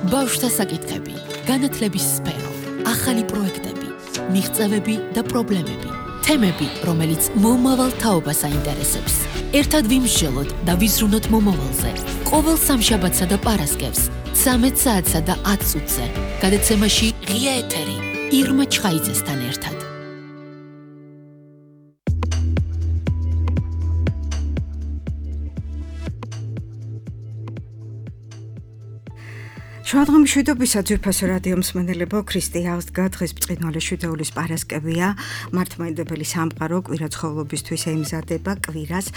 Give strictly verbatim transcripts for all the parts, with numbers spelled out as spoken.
ბავშვთა საკითხები, განათლების სფერო, ახალი პროექტები, მიღწევები და პრობლემები, თემები, რომელიც მომავალ თაობას აინტერესებს. ერთად ვიმსჯელოთ და ვიზრუნოთ მომავალზე. ყოველ სამშაბათსა და პარასკევს, ცამეტ საათსა და ათ წუთზე. გადაცემაში ღია ეთერი, ირმა ჩხაიძესთან ერთად. Შუადღემ მშვიდობისა ძვირფასო რადიო მსმენელებო, ქრისტე აღსდგა, დღეს ბრწყინვალე შვიდეულის პარასკევია, მართლმადიდებელი სამყარო კვირა ცხოველობისთვის ემზადება, კვირას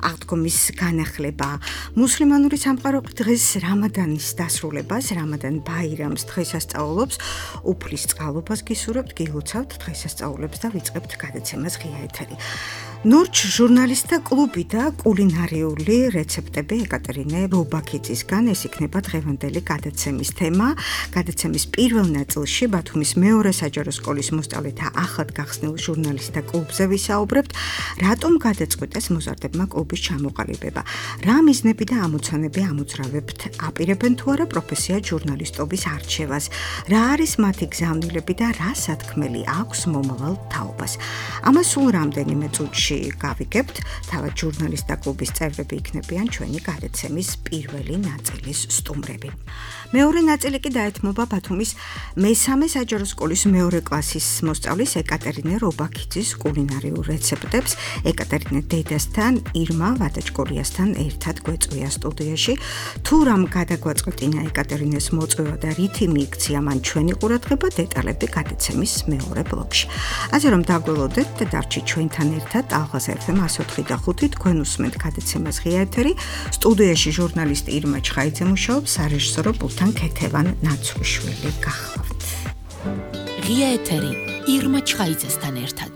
აღდგომის განახლება. მუსლიმანური სამყარო დღეს რამადანის დასრულებას, რამადან ბაირამს დღესასწაულობს, უფლის წყალობას გისურვებთ, გილოცავთ დღესასწაულებს და ვიწყებთ გადაცემას ღია ეთერი. ნურჩ ჟურნალისტთა კლუბი და კულინარიული რეცეპტები ეკატერინე რობაქიძისგან, ეს იქნება დღევანდელი გადაცემის თემა. გადაცემის პირველ ნაწილში ბათუმის მეორე საჯარო სკოლის მოსწავლეთა ახლად გახსნილ ჟურნალისტთა კლუბზე ვისაუბრებთ, რატომ გადაწყვიტეს მოზარდებმა კლუბის ჩამოყალიბება, რა მიზნები და ამოცანები ამოძრავებთ, აპირებენ თუ არა პროფესიად ჟურნალისტობის არჩევას, რა არის მათი გზავნილები და რა სათქმელი აქვს მომავალ თაობას. ამას სულ რამდენიმე წუთში გავიგებთ, თავად ჟურნალისტთა კლუბის წევრები იქნებიან ჩვენი გადაცემის პირველი ნაწილის სტუმრები. მეორე ნაწილი კი დაეთმობა ბათუმის მესამე საჯარო სკოლის მეორე კლასის მოსწავლის ეკატერინე რობაქიძის კულინარიულ რეცეპტებს. ეკატერინე დედასთან, ირმა ვადაჭკორიასთან ერთად გვეწვია სტუდიაში. თუ რამ გადაგვაწყვეტინა ეკატერინეს მოწვევა და რითი მიიქცია მან ჩვენი ყურადღება, დეტალები გადაცემის მეორე ბლოკში. ასე რომ დაგველოდეთ და დარჩით ჩვენთან ერთად. ალღაზ ეფ ემ εκατო ოთხი და ხუთი თქვენ უსმენთ გადაცემას ღია ეთერი. სტუდიაში ჟურნალისტი ირმა ჩხაიძე მუშაობს, სარეჟისორო პულტთან ქეთევან ნაცვლიშვილი გახლავთ. ღია ეთერი, ირმა ჩხაიძესთან ერთად.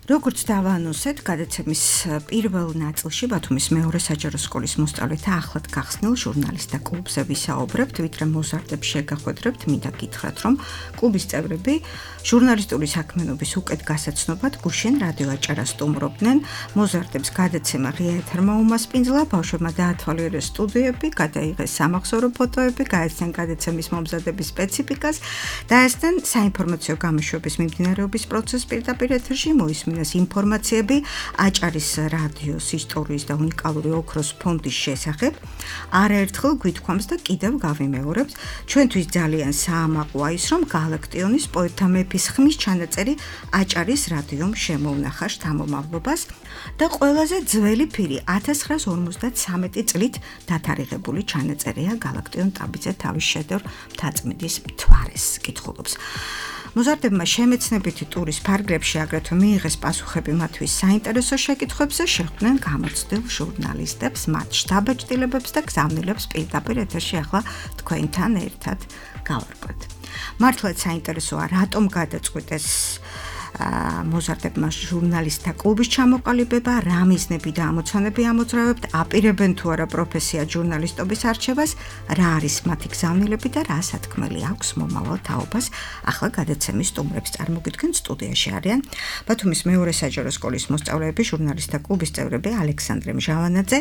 როგორც დავანონსეთ, გადაცემის პირველ ნაწილში ბათუმის მეორე საჯარო სკოლის მოსწავლეთა ახლად გახსნილ ჟურნალისტთა კლუბზე ვისაუბრებთ, ვიდრე მოზარდებს შეგახვედრებთ, მინდა გითხრათ, რომ კლუბის წევრები ჟურნალისტური საქმიანობის უკეთ გასაცნობად გუშინ რადიო აჭარას სტუმრობდნენ. მოზარდებს გადაცემა ღია ეთერმა უმასპინძლა, ბავშვებმა დაათვალიერეს სტუდიები, გადაიღეს სამახსოვრო ფოტოები, გაეცნენ გადაცემის მომზადების სპეციფიკას, დაესწრნენ საინფორმაციო გამოშვების მიმდინარეობის პროცესს პირდაპირ ეთერში, მოისმინეს ინფორმაციები აჭარის რადიოს ისტორიის და უნიკალური ოქროს ფონდის შესახებ. არაერთხელ გვითქვამს და კიდევ გავიმეორებთ, ჩვენთვის ძალიან საამაყოა ის, რომ გალაქტიონის პოეტთა მეფის ხმის ჩანაწერი აჭარის რადიომ შემოუნახა შთამომავლობას და ყველაზე ძველი ფირი ათას ცხრაას ორმოცდათსამეტი წლით დათარიღებული ჩანაწერია გალაქტიონ ტაბიძე თავის შედევრ მთაწმინდის მთვარეს კითხულობს. მოზარდებმა შემეცნებითი ტურის ფარგლებში აგრეთვე მიიღეს პასუხები მათთვის საინტერესო შეკითხვებზე, შეხვდნენ გამოცდილ ჟურნალისტებს, მათ შთაბეჭდილებებს და გზავნილებს პირდაპირ ეთერში ახლა თქვენთან ერთად გავარკვევთ. მართლაც საინტერესოა, რატომ გადაწყვიტეს მოზარდებმა ჟურნალისტთა კლუბის ჩამოყალიბება, რა მიზნები და ამოცანები ამოძრავებთ, აპირებენ თუ არა პროფესიად ჟურნალისტობის არჩევას, რა არის მათი გზავნილები და რა სათქმელი აქვს მომავალ თაობას. ახლა გადაცემის სტუმრებს წარმოგიდგენთ, სტუდიაში არიან ბათუმის მეორე საჯარო სკოლის მოსწავლეები, ჟურნალისტთა კლუბის წევრები ალექსანდრე მჟავანაძე,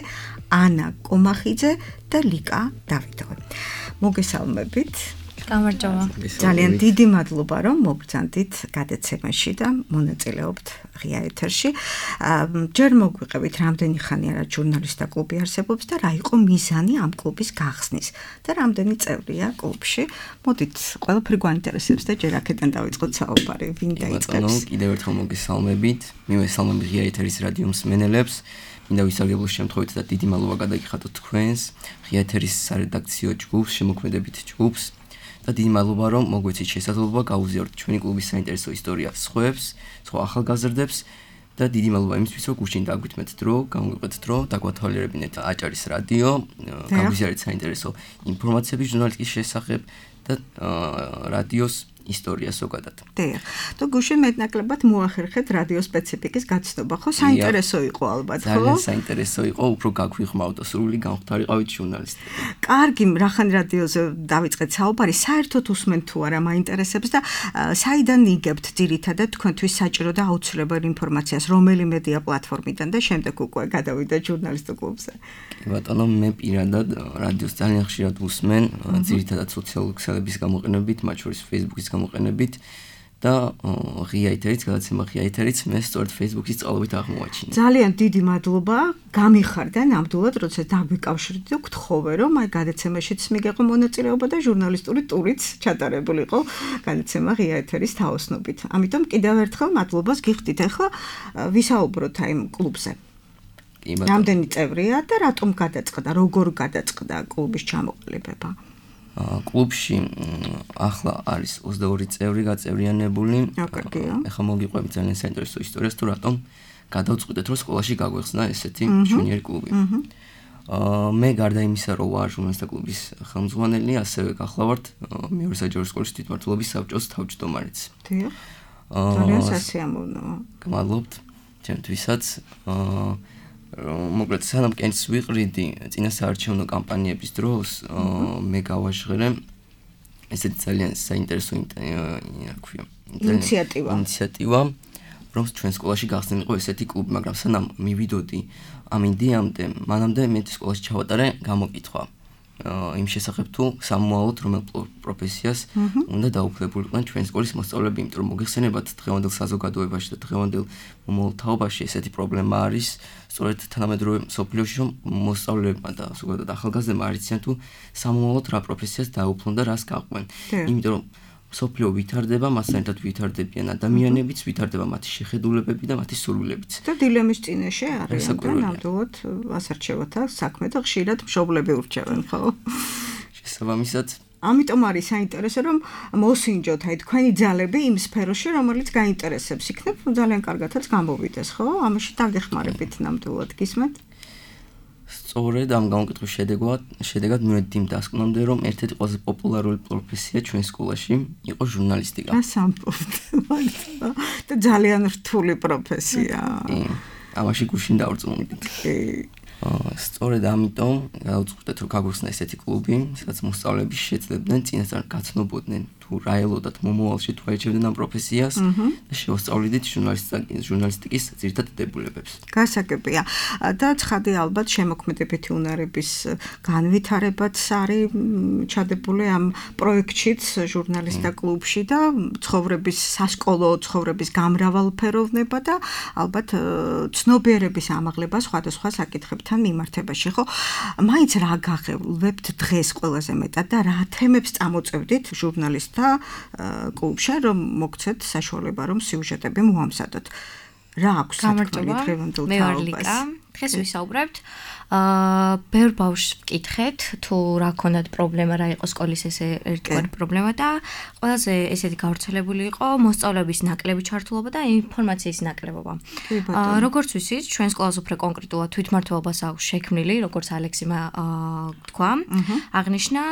ანა კომახიძე და ლიკა დავიდოვი. მოგესალმებით. გამარჯობა. ძალიან დიდი მადლობა, რომ მოგბრძანდით გადაცემაში და მონაწილეობთ ღია ეთერში. ჯერ მოგვიყევით, რამდენი ხანი არა ჟურნალისტთა კლუბი არსებობს და რა იყო მიზანი ამ კლუბის გახსნის და რამდენი წევრია კლუბში. მოდით, ყველაფერი გვაინტერესებს და ჯერ აქედან დავიწყოთ საუბარი. ვინ დაიწყებს? კიდევ ერთხელ მოგესალმებით. მივესალმები ღია ეთერის რადიო მსმენელებს. მინდა ვისარგებლოს შემთხვევით და დიდი მადლობა გადაგიხადოთ თქვენს ღია ეთერის სარედაქციო ჯგუფს, შემოქმედებით ჯგუფს. და დიდი მადლობა, რომ მოგვეცით შესაძლებლობა გავუზიაროთ ჩვენი კლუბის საინტერესო ისტორია სხვებს, სხვა ახალგაზრდებს და დიდი მადლობა იმისთვის, რომ გუშინ დაგვითმეთ დრო, გამოვიყეთ დრო, დაგვათვალიერებინეთ აჭარის რადიო, გავუზიარეთ საინტერესო ინფორმაციები ჟურნალისტიკის შესახებ და რადიოს ისტორია ზოგადად. დიახ. თუ გუშინ მეტნაკლებად მოახერხეთ რადიო სპეციფიკის გაცნობა, ხო? საინტერესო იყო ალბათ, ხო? ძალიან საინტერესო იყო, უფრო გაგვიხმაოდა სრული განხთარიყავით ჟურნალისტები. კარგი, რახან რადიოზე დავიწყეთ საუბარი, საერთოდ უსმენთ თუ არა მაინტერესებს და საიდან იგებთ ძირითადად თქვენთვის საჭირო და აუცილებელ ინფორმაციას, რომელი მედია პლატფორმიდან და შემდეგ უკვე გადავიდეთ ჟურნალისტურ კლუბზე. კი ბატონო, მე პირადად რადიოს ძალიან ხშირად ვუსმენ, ძირითადად სოციალური ქსელების გამოყენებით, მათ შორის Facebook-ის გამოყენებით და ღია ეთერიც, გადაცემა ღია ეთერიც მე სწორედ Facebook-ის წყალობით აღმოაჩინე. ძალიან დიდი მადლობა, გამიხარდა ნამდვილად, როცა დაგვიკავშირდით და გთხოვე, რომ აი გადაცემაშიც მიგეყო მონაწილეობა და ჟურნალისტური ტურიც ჩატარებულიყო გადაცემა ღია ეთერის თაოსნობით. ამიტომ კიდევ ერთხელ მადლობას გიხდით. ახლა ვისაუბროთ აი კლუბზე. რამდენი წევრია და რატომ გადაწყდა, როგორ გადაწყდა კლუბის ჩამოყალიბება? კლუბში ახლა არის ოცდაორი წევრი გაწევრიანებული. ახლა მოგიყვებით ძალიან საინტერესო ისტორიას, თუ რატომ გადავწყვიტეთ, რომ სკოლაში გაგვეხსნა ესეთი ჟუნიორი კლუბი. მე გარდა იმისა, რომ ვარ ჟურნალისტთა კლუბის ხელმძღვანელი, ასევე გახლავართ მეორე საჯარო სკოლის თვითმმართველობის საბჭოს თავმჯდომარეც. დიახ. ძალიან სასიამოვნოა. გმადლობთ ჩემთვისაც. მოკლედ სანამ კენს ვიყრიდი წინასაარჩევნო კამპანიების დროს მე გავაჟღერე ესეთი ძალიან საინტერესო ინიციატივა ინიციატივა რომ ჩვენ სკოლაში გახსნილიყო ესეთი კლუბი, მაგრამ სანამ მივიდოდი ამ იდეამდე, მანამდე მე სკოლაში ჩავატარე გამოკითხვა იმ შესახებ თუ სამოვალოდ რომელ პროფესიას უნდა დაუფლებულიყვნენ ჩვენ სკოლის მოსწავლეები, იმიტომ რომ მოგეხსენებათ დღევანდელ საზოგადოებაში და დღევანდელ მომავალთაობაში ესეთი პრობლემა არის სწორედ თანამედროვე მსოფლიოში, რომ მოსწავლეებმა და ზოგადად ახალგაზრდებმა არ იციან თუ სამოვალოდ რა პროფესიას დაუფლონ და რას გაყვნენ. იმიტომ რომ მსოფლიო ვითარდება, მასთან ერთად ვითარდებიან ადამიანებიც, ვითარდება მათი შეხედულებები და მათი სურვილებიც. და დილემის წინაშე არიან და ნამდვილად ასარჩევათ საქმე და ხშირად მშობლები ურჩევენ, ხო? შესაბამისად ამიტომ არის საინტერესო, რომ მოსინჯოთ აი თქვენი ძალები იმ სფეროში, რომელიც გაინტერესებს. იქნებ ძალიან კარგადაც გამოვიდეს, ხო? ამაში დაგეხმარებით ნამდვილად გისმენთ? სწორედ ამ გამოკითხვის შედეგად, შედეგად მივედი იმ დასკვნამდე, რომ ერთ-ერთი ყველაზე პოპულარული პროფესია ჩვენ სკოლაში იყო ჟურნალისტიკა. ასამბობთ. და ძალიან რთული პროფესია. კი. ამაში გუშინ დავწმუნდით. კი. სწორედ ამიტომ გავუწყდეთ, რომ გაგვიხსნა ესეთი კლუბი, სადაც მოსწავლეები შეძლებდნენ წინასწარ გაცნობოდნენ თუ რა ელოდათ მომავალში თუ აიჩევდნენ ამ პროფესიას და შეუსწავლიდით ჟურნალისტიკის ძირითად დებულებებს. გასაგებია. და ცხადი ალბათ შემოქმედებითი უნარების განვითარებაც არის ჩადებული ამ პროექტშიც ჟურნალისტთა კლუბში და ცხოვრების სასკოლო ცხოვრების გამრავალფეროვნება და ალბათ ცნობიერების ამაღლება სხვადასხვა საკითხებთან მიმართებაში, ხო? მაინც რა გაღებლებთ დღეს ყველაზე მეტად და რა თემებს წამოწევდით ჟურნალისტთა კლუბში, რომ მოგცეთ საშუალება, რომ სიუჟეტები მოამზადოთ. რა აქვს თქმით დღევანდელ თაობას? დღეს ვისაუბრებთ აა ბევრ ბავშვს ვკითხეთ თუ რა ქონდათ პრობლემა, რა იყო სკოლის ესე ერთგვარი პრობლემა და ყველაზე ესეთი გავრცელებული იყო მოსწავლეების ნაკლები ჩართულობა და ინფორმაციის ნაკლებობა. აა როგორც ვიცით, ჩვენ სკოლას უფრო კონკრეტულად თვითმმართველობას აქვს შექმნილი, როგორც ალექსიმა თქვა, აღნიშნა,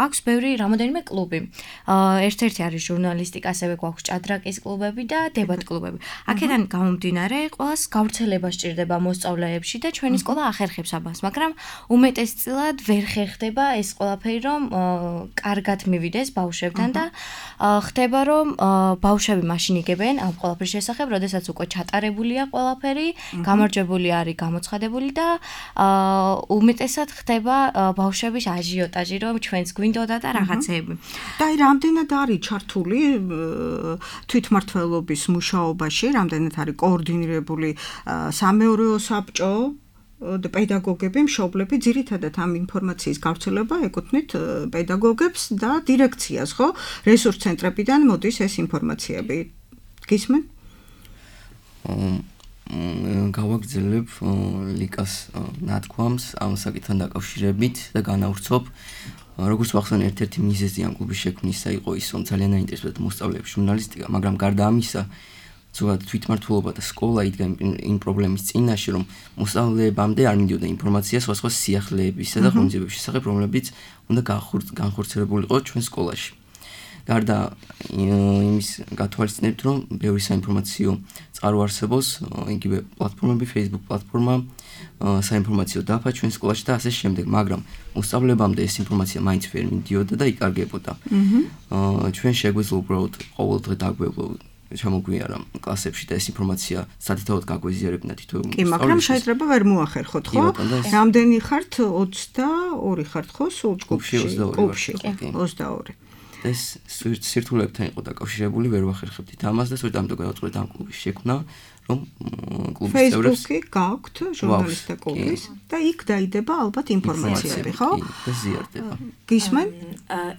აქვს ბევრი რამოდენიმე კლუბი. აა ერთ-ერთი არის ჟურნალისტიკა, ასევე გვაქვს ჭადრაკის კლუბები და დებატ კლუბები. აქედან გამომდინარე, ყველას გავრცელება სჭირდება მოსწავლეებში და ჩვენი სკოლა ახერხებს ამას, მაგრამ უმეტესწილად ვერ ხერხდება ეს ყველაფერი, რომ კარგად მივიდეს ბავშვებთან და ხდება, რომ ბავშვები მაშინ იგებენ ამ ყველაფრის შესახებ, როდესაც უკვე ჩატარებულია ყველაფერი, გამარჯვებული არის, გამოცხადებული და უმეტესად ხდება ბავშვების აჟიოტაჟი, რომ ჩვენც გვინდოდა და რაღაცეები. და აი რამდენად არის ჩართული თვითმმართველობის მუშაობაში, რამდენად არის კოორდინირებული სამეურვეო საბჭო და პედაგოგები, მშობლები, ძირითადად ამ ინფორმაციის გავრცელება ეკუთვნით პედაგოგებს და დირექციას, ხო? რესურს ცენტრებიდან მოდის ეს ინფორმაციები. გისმენ? გავაგრძელებ ლიკას ნათქვამს ამ საკითხთან დაკავშირებით და განავრცობ. როგორც ვახსენე, ერთ-ერთი მიზეზი ამ კლუბის შექმნისა იყო ის, რომ ძალიან აინტერესებდათ მოსწავლეებს ჟურნალისტიკა, მაგრამ გარდა ამისა, ზოგადად თვითმმართველობა და სკოლა იდგა იმ პრობლემის წინაშე, რომ მოსწავლეებამდე არ მიდიოდა ინფორმაცია სხვა-სხვა სიახლეებისა და ღონისძიებების შესახებ, რომლებიც უნდა განხორციელებულიყო ჩვენ სკოლაში. გარდა იმის გათვალისწინებთ, რომ ბევრი საინფორმაციო წყარო არსებობს, იგივე პლატფორმები, Facebook პლატფორმა, საინფორმაციო დაფა ჩვენ სკოლაში და ასე შემდეგ, მაგრამ მოსწავლეებამდე ეს ინფორმაცია მაინც ვერ მიდიოდა და იკარგებოდა. ჩვენ შეგვეძლო უბრალოდ ყოველდღე დაგვევლო ჩამოგვიარა კლასებში და ეს ინფორმაცია სათითაოდ გაგვეზიარებინა თითოეულ კი, მაგრამ შეიძლება ვერ მოახერხოთ, ხო? რამდენი ხართ? ოცდაორი ხართ, ხო? სულ ჯგუფში? ოცდაორი. ოცდაორი. ეს სირთულეებთან იყო დაკავშირებული, ვერ ვახერხებდით ამას და სწორედ ამიტომ გადავწყვეტ ამ კლუბის შექმნა, რომ კლუბის წევრებს Facebook-ი გაქვთ ჟურნალისტთა კლუბის და იქ დაიდება ალბათ ინფორმაციები, ხო? და ზიარდება. გისმენ?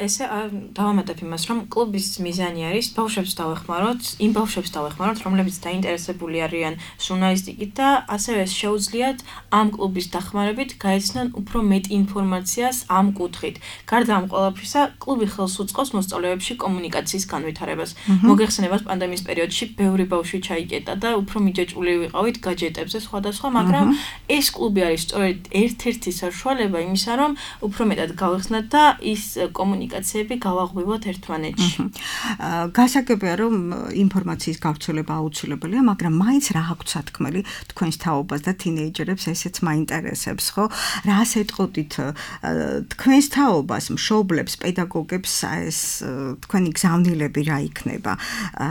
ესე დავამატებ იმას, რომ კლუბის მიზანი არის ბავშვებს დავეხმაროთ, იმ ბავშვებს დავეხმაროთ, რომლებიც დაინტერესებული არიან ჟურნალისტიკით და ასევე შეუძლიათ ამ კლუბის დახმარებით გაეცნან უფრო მეტ ინფორმაციას ამ კუთხით. გარდა ამ ყველაფრისა, კლუბი ხელს უწყობს მოსწავლეებში კომუნიკაციის განვითარებას. მოგეხსენებათ, პანდემიის პერიოდში ბევრი ბავშვი ჩაიკეტა და უფრო მიჯაჭვული ვიყავით გაჯეტებზე სხვადასხვა, მაგრამ ეს კლუბი არის სწორედ ერთ-ერთი საშუალება იმისა, რომ უფრო მეტად გავეხსნათ და ის კომუნიკაციები გავაღვივოთ ერთმანეთში. გასაგებია, რომ ინფორმაციის გავრცელება აუცილებელია, მაგრამ მაინც რა აქვს სათქმელი თქვენს თაობას და თინეიჯერებს ესეც მაინტერესებს, ხო? რას ეტყოდით თქვენს თაობას, მშობლებს, პედაგოგებს ეს თქვენი გზავნილები რა იქნება?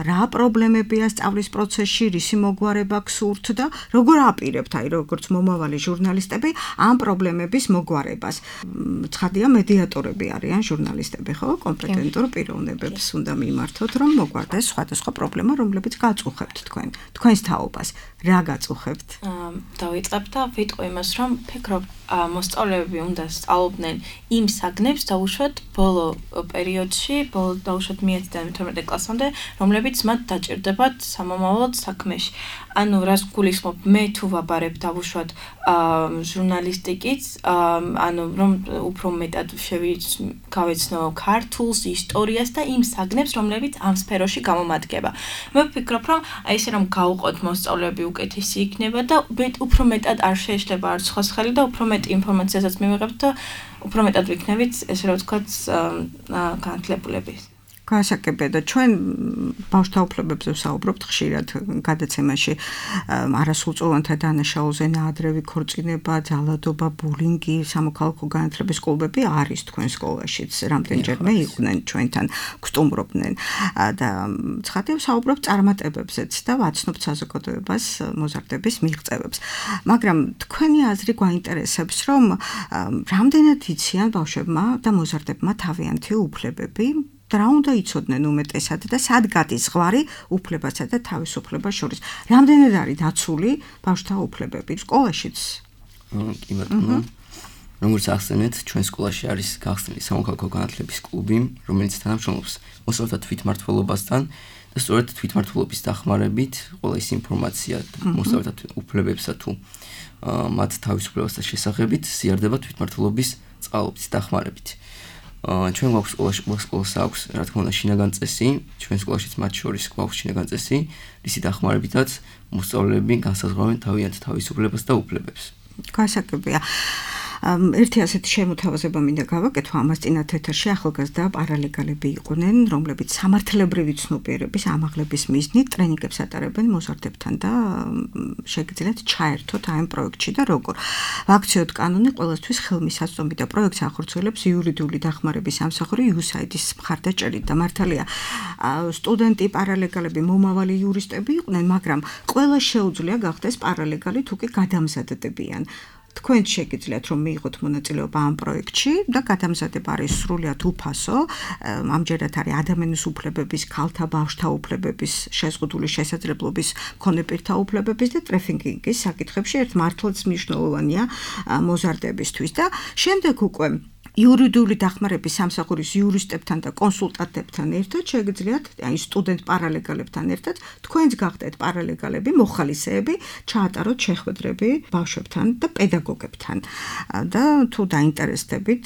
რა პრობლემებია სწავლის პროცესში, რისი მოგვარება გსურთ და როგორ აპირებთ, აი როგორც მომავალი ჟურნალისტები ამ პრობლემების მოგვარებას? ცხადია, მედიატორები არიან ჟურნალისტები, ხო? კომპეტენტურ პიროვნებებს უნდა მიმართოთ, რომ მოგვარდეს სხვადასხვა პრობლემა, რომლებიც გაწუხებთ თქვენ, თქვენს თაობას. რა გაწუხებთ? დავიწყებ და ვიტყვი იმას, რომ ფიქრობ, მოსწავლეები უნდა სწავლობდნენ იმ საგნებს დაუშვათ ბოლო პერიოდში, ბოლო დაუშვათ მეათიდან მეთორმეტე კლასამდე, რომლებიც მათ დაჭირდებათ სამომავლოდ საქმეში. ანუ რას გულისხმობ, მე თუ ვაბარებ დავუშვათ ჟურნალისტიკით, ანუ რომ უფრო მეტად გავეცნო ქართულს, ისტორიას და იმ საგნებს, რომლებიც ამ სფეროში გამომადგება. მე ვფიქრობ, რომ აი ესე რომ გავუყოთ მოსწავლეები უკეთესი იქნება და უფრო მეტად არ შეეშლება არც სხვას ხელი და უფრო მეტ ინფორმაციასაც მივიღებთ და უფრო მეტად ვიქნებით, ესე რომ ვთქვათ, განათლებულები. გასაგებია და ჩვენ ბავშვთა უფლებებზე ვსაუბრობთ ხშირად გადაცემაში არასრულწლოვანთა დანაშაულზე ნაადრევი ქორწინება, ძალადობა, ბულინგი, სამოქალაქო განათლების კლუბები არის თქვენ სკოლაშიც, რამდენჯერმე იყვნენ ჩვენთან, გსტუმრობდნენ და ცხადია ვსაუბრობთ წარმატებებზეც და ვაცნობთ საზოგადოებას მოზარდების მიღწევებს. მაგრამ თქვენი აზრი გვაინტერესებს, რომ რამდენად იციან ბავშვებმა და მოზარდებმა თავიანთი უფლებები რა უნდა იცოდნენ უმეტესად და სად გადის ზღვარი უფლებასა და თავისუფლებას შორის? რამდენად არის დაცული ბავშვთა უფლებები სკოლაშიც? კი ბატონო. როგორც ახსენეთ, ჩვენ სკოლაში არის გახსნილი სამოქალაქო განათლების კლუბი, რომელიც თანამშრომლობს მოსწავლეთა თვითმმართველობასთან და სწორედ თვითმმართველობის დახმარებით ყველა ის ინფორმაცია მოსწავლეთა უფლებებსა თუ მათ თავისუფლებასთან შესახებით ზიარდება თვითმმართველობის წყალობით დახმარებით. ჩვენ გვაქვს სკოლაში სკოლას აქვს, რა თქმა უნდა, შინაგან წესი, ჩვენ სკოლაშიც მათ შორის გვაქვს შინაგან წესი, რისი დახმარებითაც მოსწავლეები განსაზღვრავენ თავიანთ თავისუფლებას და უფლებებს. გასაგებია. ერთი ასეთი შემოთავაზება მინდა გავაკეთო ამას წინათ ეთერში ახალგაზრდა პარალეგალები იყვნენ, რომლებიც სამართლებრივი ცნობიერების ამაღლების მიზნით ტრენინგებს ატარებენ მოზარდებთან და შეგიძლიათ ჩაერთოთ ამ პროექტში და როგორ. ვაქციოთ კანონი ყველასთვის ხელმისაწვდომი და პროექტს ახორციელებს იურიდიული დახმარების სამსახური იუ ეს აი დი-ის მხარდაჭერით და მართალია სტუდენტი პარალეგალები მომავალი იურისტები იყვნენ, მაგრამ ყველა შეუძლია გახდეს პარალეგალი თუ კი გადამზადდებიან. თქვენ შეგიძლიათ რომ მიიღოთ მონაწილეობა ამ პროექტში და გადამზადება არის სრულიად უფასო. ამჯერად არის ადამიანის უფლებების, ქალთა ბავშვთა უფლებების, შეზღუდული შესაძლებლობის მქონე პირთა უფლებების და ტრაფიკინგის საკითხებში ერთ მართლაც მნიშვნელოვანია მოზარდებისთვის და შემდეგ უკვე იურიდიული დახმარების სამსახურის იურისტებთან და კონსულტანტებთან ერთად შეგიძლიათ, აი სტუდენტ პარალეგალებთან ერთად, თქვენც გახდეთ პარალეგალები, მოხალისეები, ჩაატაროთ შეხვედრები ბავშვებთან და პედაგოგებთან. და თუ დაინტერესდებით,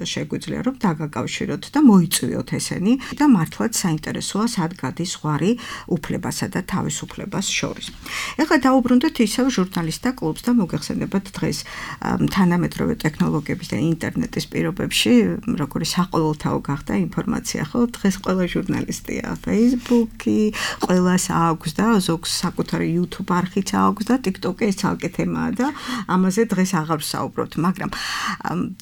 შეგვიძლია რომ დაგაკავშიროთ და მოიწვიოთ ესენი და მართლაც საინტერესოა სად გადის ზღვარი უფლებასა და თავისუფლებას შორის. ეხლა დაუბრუნდეთ ისევ ჟურნალისტთა კლუბს და მოგეხსენებათ დღეს თანამედროვე ტექნოლოგიების და ინტერნეტის ეს პირობებში როგორი საყოველთაო გახდა ინფორმაცია, ხო? დღეს ყველა ჟურნალისტია, Facebook-ი, ყველას აქვს და ზოგს საკუთარი YouTube არხიც აქვს და TikTok-ი ეს ცალკე თემაა და ამაზე დღეს აღარ ვსაუბრობთ, მაგრამ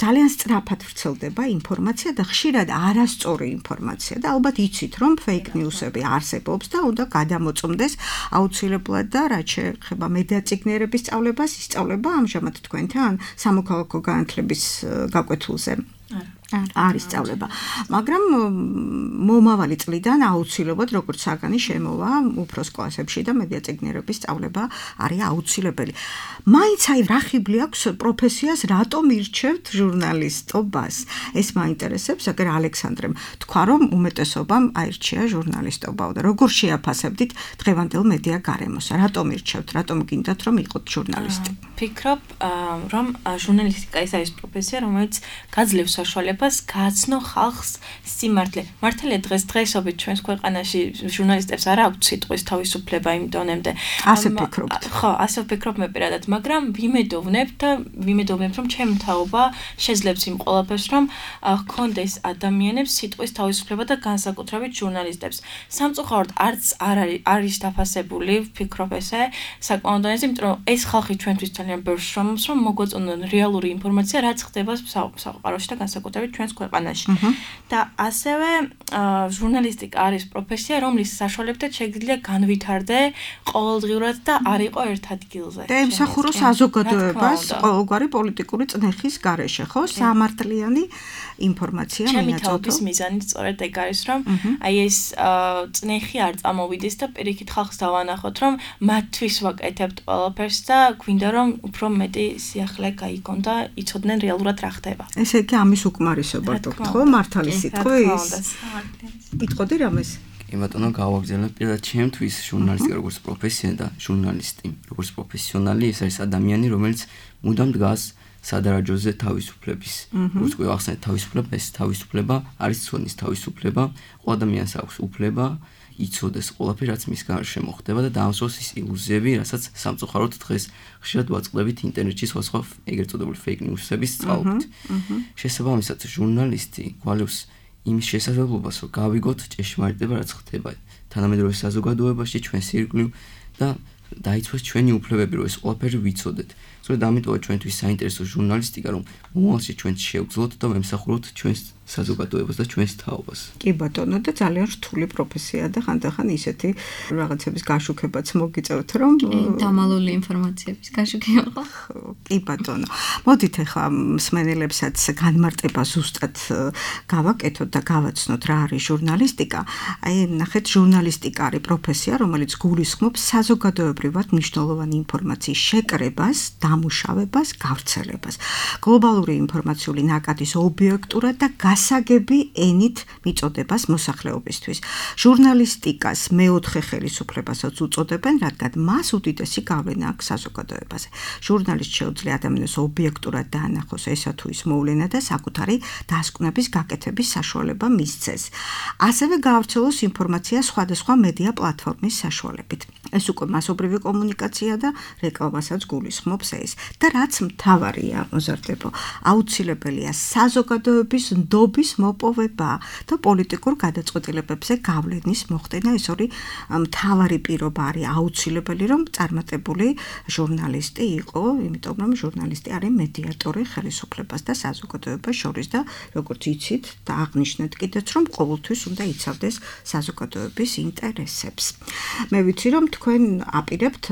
ძალიან სწრაფად ვრცელდება ინფორმაცია და ხშირად არასწორი ინფორმაცია და ალბათ იცით, რომ fake news-ები არსებობს და უნდა გადამოწმდეს აუცილებლად და რაც შეეხება მედიაციგნიერების სწავლებას, ისწავლება ამჟამად თქვენთან სამოქალაქო განათლების გაკვეთილზე. არის სწავლება, მაგრამ მომავალი წლიდან აუცილებლად როგორც საგანი შემოვა უფროს კლასებში და მედიაციგნიერების სწავლება არის აუცილებელი. მაინც აი რა ხიბლი აქვს პროფესიას რატომ ირჩევთ ჟურნალისტობას? ეს მაინტერესებს, აგერ ალექსანდრემ თქვა რომ უმეტესობამ აირჩია ჟურნალისტობა და როგორ შეაფასებდით დღევანდელ მედია გარემოს? რატომ ირჩევთ? რატომ გინდათ რომ იყოთ ჟურნალისტი? ფიქრობ რომ ჟურნალისტიკა ის არის პროფესია, რომელიც გაძლევს საშუალებას გააცნო ხალხს სიმართლე. მართალია დღეს დღესობით ჩვენს ქვეყანაში ჟურნალისტებს არ აქვს სიტყვის თავისუფლება იმ დონემდე. ასე ფიქრობთ? ხო, ასე ვფიქრობ მე პირადად, მაგრამ ვიმედოვნებ და ვიმედოვნებ რომ ჩემი თაობა შეძლებს იმ ყველაფერს, რომ ჰქონდეს ადამიანებს სიტყვის თავისუფლება და განსაკუთრებით ჟურნალისტებს. სამწუხაროდ არც არ არის არის დაფასებული, ვფიქრობ ესე, საკმაოდ დონეზე, იმიტომ რომ ეს ხალხი ჩვენთვის ძალიან ბევრს შრომობს, რომ მოგვაწონონ რეალური ინფორმაცია, რაც ხდება საყაროში და განსაკუთრებით ჩვენს ქვეყანაში. და ასევე ჟურნალისტიკა არის პროფესია, რომლის საშუალებითაც შეგვიძლია განვითარდე ყოველდღიურად და არ იყო ერთ ადგილზე. და ემსახურო საზოგადოებას ყოველგვარი პოლიტიკური წნეხის გარეშე, ხო? სამართლიანი ინფორმაცია მიაწოდო. მიაწოდო. ჩემი თაობის მიზანი სწორედ ეგ არის, რომ აი ეს წნეხი არ წამოვიდეს და პირიქით ხალხს დავანახოთ, რომ მათთვის ვაკეთებთ ყველაფერს და გვინდა რომ უფრო მეტი სიახლე გაიგონ და იცოდნენ რეალურად რა ხდება. ესე იგი ამის უკმარისობა თქო, ხო? მართალი სიტყვის. იტყოდი რამეს? კი ბატონო, გავაგზავნე პირადად ჩემთვის ჟურნალისტიკა როგორც პროფესია და ჟურნალისტი როგორც პროფესიონალი ეს არის ადამიანი, რომელიც მუდამ დგას სადარაჯოზე თავისუფლების. როგორც კი ახსენეთ თავისუფლება, ეს თავისუფლება არის ცოდნის თავისუფლება, ყველა ადამიანს აქვს უფლება იცოდეს ყველაფერი, რაც მის გარშემო ხდება და დაამსვას ის ილუზიები, რასაც სამწუხაროდ დღეს ხშირად ვაწყდებით ინტერნეტში სხვადასხვა ეგრეთ წოდებული fake news-ების წყალობით. შესაბამისად, ჟურნალისტი გვალევს იმის შესაძლებლობას, რომ გავიგოთ ჭეშმარიტება, რაც ხდება თანამედროვე საზოგადოებაში, ჩვენს ირგვლივ და დაიცვას ჩვენი უფლებები, რომ ეს ყველაფერი ვიცოდეთ. სწორედ ამიტომაც ჩვენთვის საინტერესო ჟურნალისტიკა, რომ მომავალში ჩვენ შევძლოთ და ვემსახუროთ ჩვენს საზოგადოებას და ჩვენს თაობას. კი ბატონო, და ძალიან რთული პროფესია და ხანდახან ისეთი რაღაცების გაშუქებაც მოგიწევთ, რომ დამალული ინფორმაციების გაშუქება ხო? კი ბატონო. მოდით ახლა მსმენელებსაც განმარტება ზუსტად გავაკეთოთ და გავაცნოთ რა არის ჟურნალისტიკა. აი ნახეთ, ჟურნალისტიკა არის პროფესია, რომელიც გულისხმობს საზოგადოებრივად მნიშვნელოვანი ინფორმაციის შეკრებას, დამუშავებას, გავრცელებას. გლობალური ინფორმაციული ნაკადის ობიექტურად და გასაგები ენით მიწოდებას მოსახლეობისთვის. ჟურნალისტიკას მეოთხე ხელისუფლებასაც უწოდებენ, რადგან მას უდიდესი გავლენა აქვს საზოგადოებაზე. ჟურნალისტს შეუძლია ადამიანს ობიექტურად დაანახოს ესა თუ ის მოვლენა და საკუთარი დასკვნების გაკეთების საშუალება მისცეს. ასევე გაავრცელოს ინფორმაცია სხვადასხვა მედია პლატფორმის საშუალებით. ეს უკვე მასობრივი კომუნიკაცია და რეკლამასაც გულისხმობს ეს. და რაც მთავარია, მოზარდებო, აუცილებელია საზოგადოების ნდობის მოპოვება და პოლიტიკურ გადაწყვეტილებებზე გავლენის მოხდენა. ეს ორი მთავარი პირობა არის აუცილებელი, რომ წარმატებული ჟურნალისტი იყო, იმიტომ რომ ჟურნალისტი არის მედიატორი ხელისუფლებას და საზოგადოებას შორის და როგორც იცით და აღნიშნეთ კიდეც, რომ ყოველთვის უნდა იცავდეს საზოგადოების ინტერესებს. მე ვიცი, რომ თქვენ აპირებთ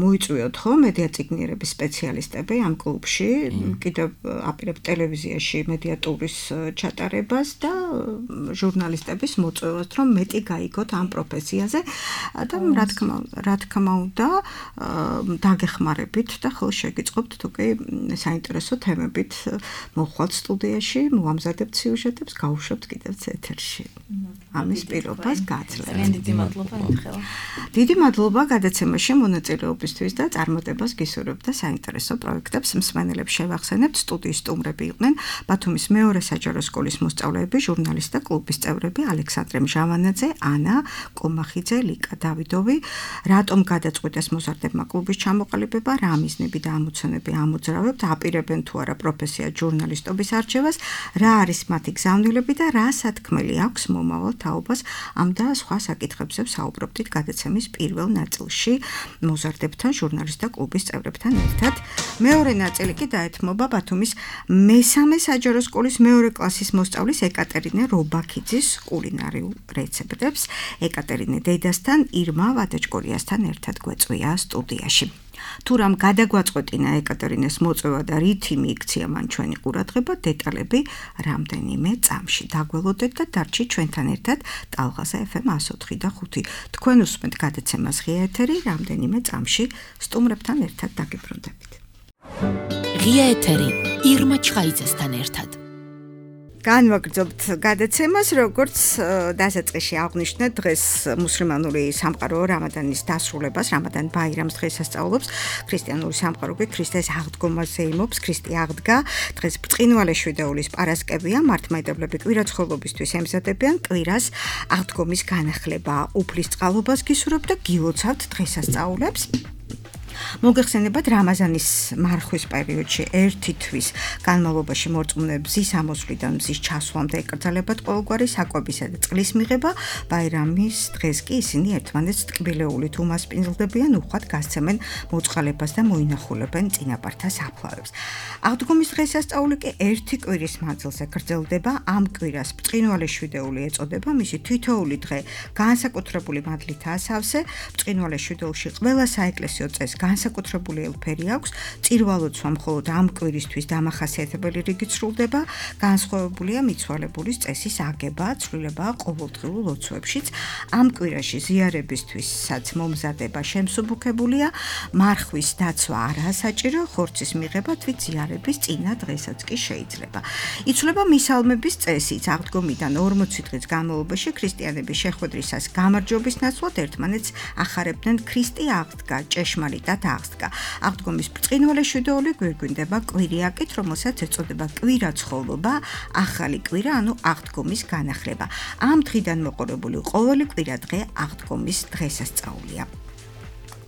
მოიწვიოთ ხო მედიაციგნიერების სპეციალისტები ამ კლუბში, კიდევ აპირებთ ტელევიზიაში მედიატურის ჩატარებას და ჟურნალისტების მოწვევას, რომ მეტი გაიგოთ ამ პროფესიაზე და რა თქმა რა თქმა უნდა დაგეხმარებით და ხოლმე შეგიწყობთ თუ კი საინტერესო თემებით მოხვალთ სტუდიაში, მოამზადებთ სიუჟეტებს, გავუშვებთ კიდევ ეთერში. ამის პირობას გაძლევთ. ძალიან დიდი მადლობა მიხელა. დიდი მადლობა გადაცემაში მონაწილეობისთვის და წარმატებას გისურვებთ და საინტერესო პროექტებს მსმენელებს შევახსენებთ. სტუდიის სტუმრები იყვნენ ბათუმის მეორე საჯარო სკოლის მოსწავლეები, ჟურნალისტთა კლუბის წევრები ალექსანდრე მჟავანაძე, ანა კომახიძე, ლიკა დავიდოვი. რატომ გადაწყვიტეს მოზარდებმა კლუბის ჩამოყალიბება, რა მიზნები და ამოცანები ამოძრავებთ, აპირებენ თუ არა პროფესია ჟურნალისტობის არჩევას, რა არის მათი გზავნილები და რა სათქმელი აქვს მომავალ თაობას, ამ და სხვა საკითხებზე საუბრობდით გადაცემის პირველ ნაწილში მოზარდებთან ჟურნალისტთა კლუბის წევრებთან ერთად. მეორე ნაწილი კი დაეთმობა ბათუმის მესამე საჯარო სკოლის მეორე კლასის მოსწავლის ეკატერინე რობაქიძის კულინარიულ რეცეპტებს. ეკატერინე დედასთან, ირმა ვადაჭკორიასთან ერთად გვეწვია სტუდიაში. თუ რამ გადაგვაწყვეტინა ეკატერინეს მოწვევა და რითი მიიქცია მან ჩვენი ყურადღება, დეტალები რამდენიმე წამში. დაგველოდეთ და დარჩით ჩვენთან ერთად ტალღაზე ეფ ემ one oh four და five. თქვენ უსმენთ გადაცემას ღია ეთერი, რამდენიმე წამში სტუმრებთან ერთად დაგიბრუნდებით. ღია ეთერი ირმა ჩხაიძესთან ერთად. განვაგრძობთ გადაცემას, როგორც დასაწყისში აღვნიშნეთ, დღეს მუსლიმანური სამყარო რამადანის დასრულებას, რამადან ბაირამს დღესასწაულობს, ქრისტიანული სამყარო კი ქრისტეს აღდგომას ზეიმობს, ქრისტე აღდგა, დღეს ბრწყინვალე შვიდეულის პარასკევია, მართლმადიდებლები კვირაცხოვლობისთვის ემზადებიან, კვირას აღდგომის განახლება, უფლისწყალობას გისურვებთ და გილოცავთ დღესასწაულებს. მოგეხსენებათ რამაზანის მარხვის პერიოდში ერთი თვის განმავლობაში მორწმუნე მზის ამოსვლიდან მზის ჩასვლამდე ეკრძალებათ ყოველგვარი საკვებისა და წყლის მიღება. ბაირამის დღეს კი ისინი ერთმანეთს ტკბილეულით უმასპინძლდებიან, უხვად გასცემენ მოწყალებას და მოინახულებენ წინაპართა საფლავებს. აღდგომის დღესასწაული კი ერთი კვირის მანძილზე გრძელდება. ამ კვირას ბრწყინვალე შვიდეული ეწოდება, მისი თითოეული დღე განსაკუთრებული მადლითაა სავსე. ბრწყინვალე შვიდეულში ყველა საეკლესიო წესს განსაკუთრებული ელფერი აქვს, წირვალოცვა მხოლოდ ამ კვირისთვის დამახასიათებელი რიგით სრულდება, განსხვავებულია მიცვალებულის წესის აგება, ცვლილება ყოველდღიურ ლოცვებშიც. ამ კვირაში ზიარებისთვისაც მომზადება შემსუბუქებულია, მარხვის დაცვა არაა საჭირო, ხორცის მიღება თვით ზიარების წინა დღესაც კი შეიძლება. იცვლება მისალმების წესიც, აღდგომიდან ორმოცი დღის განმავლობაში ქრისტიანების შეხვედრისას გამარჯვების ნაცვლად ერთმანეთს ახარებდნენ ქრისტე აღდგა, ჭეშმარიტად აღდგა. აღდგომის ბრწყინვალე შვიდეული გვირგვინდება კვირიაკით, რომელსაც ეწოდება კვირაცხოვლობა, ახალი კვირა, ანუ აღდგომის განახლება. ამ დღიდან მოყოლებული ყოველი კვირა დღე აღდგომის დღესასწაულია.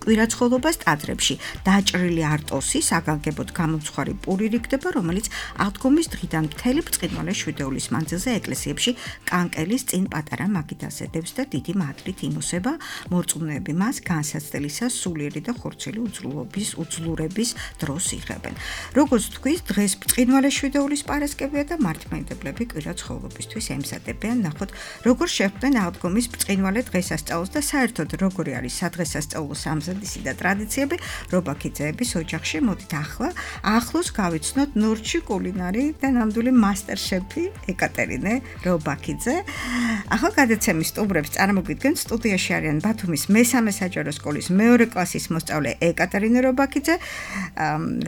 კვირაცხოვლობას ტაძრებში დაჭრილი არტოსი საგანგებოდ გამომცხვარი პური რიგდება, რომელიც აღდგომის დღიდან მთელი ბრწყინვალე შვიდეულის მანძილზე ეკლესიებში კანკელის წინ პატარა მაგიდაზე დევს და დიდი მადლით იმოსება. მორწმუნეები მას განსაცდელისას სულიერი და ხორცელი უძლურობის უძლურების დროს იღებენ. როგორც თქვის, დღეს ბრწყინვალე შვიდეულის პარასკევია და მართლმადიდებლები კვირაცხოვლობისთვის ემზადებიან. ნახოთ, როგორ შეხვდნენ აღდგომის ბრწყინვალე დღესასწაულს და საერთოდ როგორი არის სადღესასწაულო სამზადისი და ტრადიციები რობაქიძეების ოჯახში. მოდით ახლა ახლოს გავიცნოთ ნორჩი კულინარი და ნამდვილი მასტერშეფი ეკატერინე რობაქიძე. ახლა გადაცემის სტუმრებს წარმოგიდგენთ, სტუდიაში არიან ბათუმის მესამე საჯარო სკოლის მეორე კლასის მოსწავლე ეკატერინე რობაქიძე,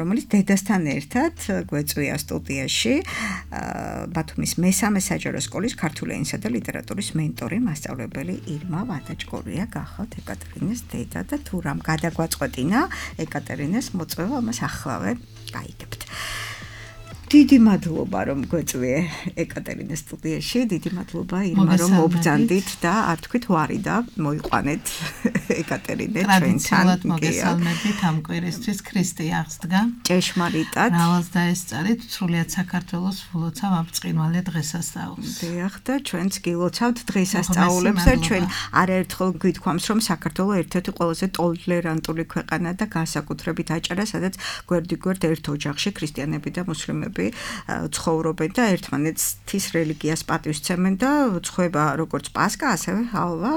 რომელიც დედასთან ერთად გვეწვია სტუდიაში. ბათუმის მესამე საჯარო სკოლის ქართული ენისა და ლიტერატურის მენტორი, მასწავლებელი ირმა ვადაჭკორია. გახავთ ეკატერინეს დედა და თუ რამ გადაგვაწყვეტინა ეკატერინეს მოწვევა, ამას ახლავე გაიგებთ. დიდი მადლობა რომ გვეწვიე ეკატერინეს სტუდიაში, დიდი მადლობა ირმა რომ მობრძანდით და არ თქვით ვარი და მოიყვანეთ ეკატერინე ჩვენთან. ტრადიციულად მოგესალმებით ამ კვირისთვის ქრისტე აღსდგა. ჭეშმარიტად. მრავალს დაესწარით, სრულიად საქართველოს ვლოცავ ამ ბრწყინვალე დღესასწაულს. დიახ და ჩვენც გილოცავთ დღესასწაულებს და ჩვენ არაერთხელ გვითქვამს რომ საქართველოს ერთ-ერთი ყველაზე ტოლერანტული ქვეყანა და განსაკუთრებით აჭარა, სადაც გვერდიგვერდ ერთ ოჯახში ქრისტიანები და მუსლიმები ცხოვრობენ და ერთმანეთის რელიგიას პატივისცემენ და ცხოვრება როგორც პასკა, ასევე ჰალვა.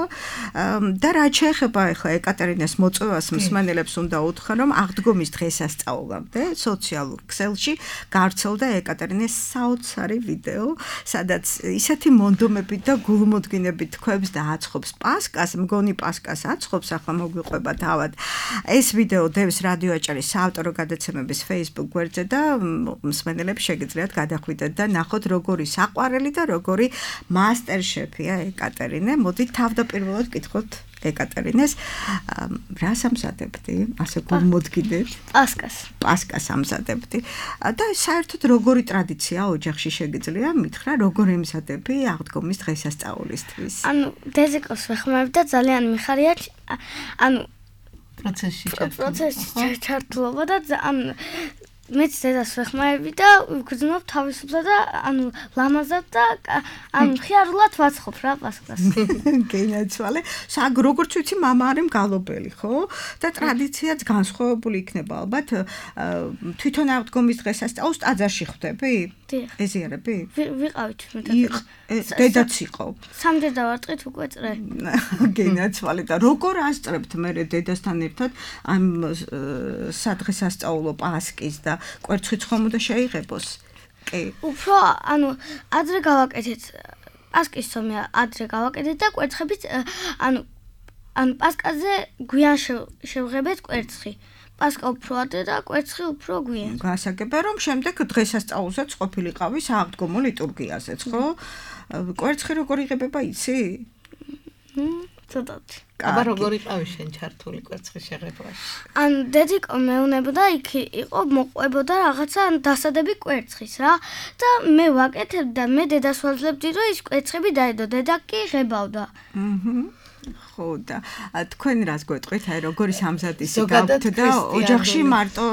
და რაც შეეხება ახლა ეკატერინეს მოწვევას, მსმენელებს უნდა უთხრა, რომ აღდგომის დღესასწაულამდე სოციალურ ქსელში გავრცელდა ეკატერინეს საოცარი ვიდეო, სადაც ისეთი მონდომებით და გულმოდგინებით თქვებს და აცხობს პასკას, მგონი პასკას აცხობს, ახლა მოგვიყვება თავად. ეს ვიდეო დევს რადიო აჭარის საავტორო გადაცემების Facebook გვერდზე და მსმენელებს სიუჟეტელებს შეგიძლიათ გადახვიდეთ და ნახოთ როგორი საყვარელი და როგორი მასტერშეფია ეკატერინე. მოდით თავდაპირველად ვკითხოთ ეკატერინეს, რას ამზადებდი? ასე გულმოდგინეთ. პასკას. პასკას ამზადებდი. და საერთოდ როგორი ტრადიცია ოჯახში შეგიძლია მითხრა, როგორ ემზადები აღდგომის დღესასწაულისთვის? ანუ დედიკოს ვეხმარებ და ძალიან მიხარია, ანუ პროცესში პროცესში ჩართულობა და ანუ მეც დედას ვეხმარები და ვგრძნობ თავისუფლად და ანუ ლამაზად და ანუ ხიარულად ვაცხობ რა პასკას. გენაცვალე. საგ როგორც ვიცი, მამა არის მგალობელი, ხო? და ტრადიციაც განსხვავებული იქნება ალბათ. თვითონ აღდგომის დღესასწაულს ტაძარში ხვდები? დიახ. ეზიარები? ვიყავით მეტად. დედაც იყო. სამდედა ვარტყით უკვე წრე. გენაცვალე და როგორ ასწრებთ მე დედასთან ერთად ამ სადღესასწაულო პასკის და კვერცხიც ხომ უნდა შეიღებოს? კი. უფრო ანუ ადრე გავაკეთეთ პასკის ცომია ადრე გავაკეთეთ და კვერცხებით ანუ ანუ პასკაზე გვიან შევღებეთ კვერცხი. პასკა უფრო ადრე და კვერცხი უფრო გვიან. გასაგებია რომ შემდეგ დღესასწაულზეც ყოფილიყავი სააღდგომო ლიტურგიაზეც, ხო? კვერცხი როგორ იღებება იცი? ცოტათი. აბა როგორ იყავი შენ ჩართული კვერცხის შეღებაში? ან დედიკო მეუნებოდა იქ იყო მოყვებოდა რაღაცა დასადები კვერცხის რა და მე ვაკეთებ და მე დედას ვაძლევდი რომ ის კვერცხები დაედო დედა კი ღებავდა. აჰა. ხო და თქვენ რას გვეტყვით, აი როგორი სამზადისი გაქვთ და ოჯახში მარტო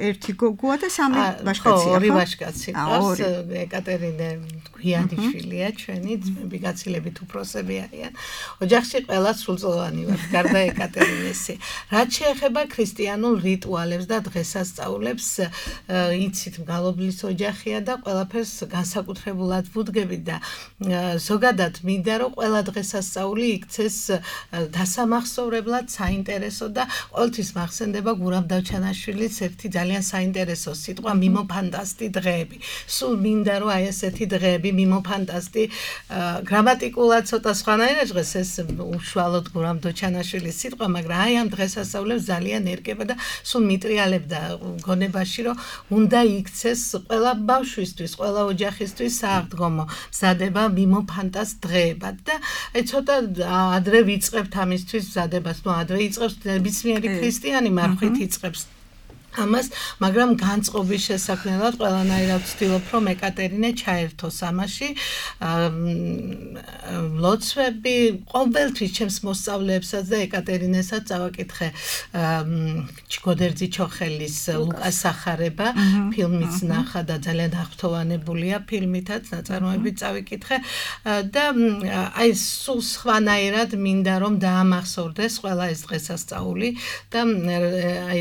ერთი გოგოა და სამი ვაჟკაცია, ხო? ორი ვაჟკაცი ყავს, ეკატერინე გვიანიშვილია ჩვენი, ძმები გაცილებით უფროსები არიან. ოჯახში ყველა სრულწლოვანი ვართ, გარდა ეკატერინესი. რაც შეეხება ქრისტიანულ რიტუალებს და დღესასწაულებს, იცით, მგალობლის ოჯახია და ყველაფერს განსაკუთრებულად ვუდგებით და ზოგადად მინდა რომ ყველა დღესასწაული იქცეს დასამახსოვრებლად საინტერესო და ყოველთვის მახსენდება გურამ დავჩანაშვილის ერთი ძალიან საინტერესო სიტყვა მიმოფანტასტი დღეები. სულ მინდა რომ აი ესეთი დღეები მიმოფანტასტი გრამატიკულად ცოტა სხვანაირად ჟღერს ეს უშუალოდ გურამ დავჩანაშვილის სიტყვა, მაგრამ აი ამ დღესასწაულებს ძალიან ერგება და სულ მიტრიალებდა გონებაში რომ უნდა იქცეს ყველა ბავშვისთვის, ყველა ოჯახისთვის სააღდგომო მზადება მიმოფანტას დღეებად და აი ცოტა ადრე ვიწყებთ ამისთვის მზადებას, ნუ ადრე იწყებს ნებისმიერი ქრისტიანი მარხვით იწყებს ამას, მაგრამ განწყობის შესაქმნელად ყველანაირად ვცდილობ რომ ეკატერინე ჩაერთოს ამაში. ლოცვები ყოველთვის ჩემს მოსწავლეებსაც და ეკატერინესაც წავაკითხე ჩიგოდერძი ჩოხელის ლუკას სახარება, ფილმიც ნახა და ძალიან აღფრთოვანებულია ფილმითაც, ნაწარმოებით წავიკითხე და აი სულ სხვანაირად მინდა რომ დაამახსოვრდეს ყველა ეს დღესასწაული და აი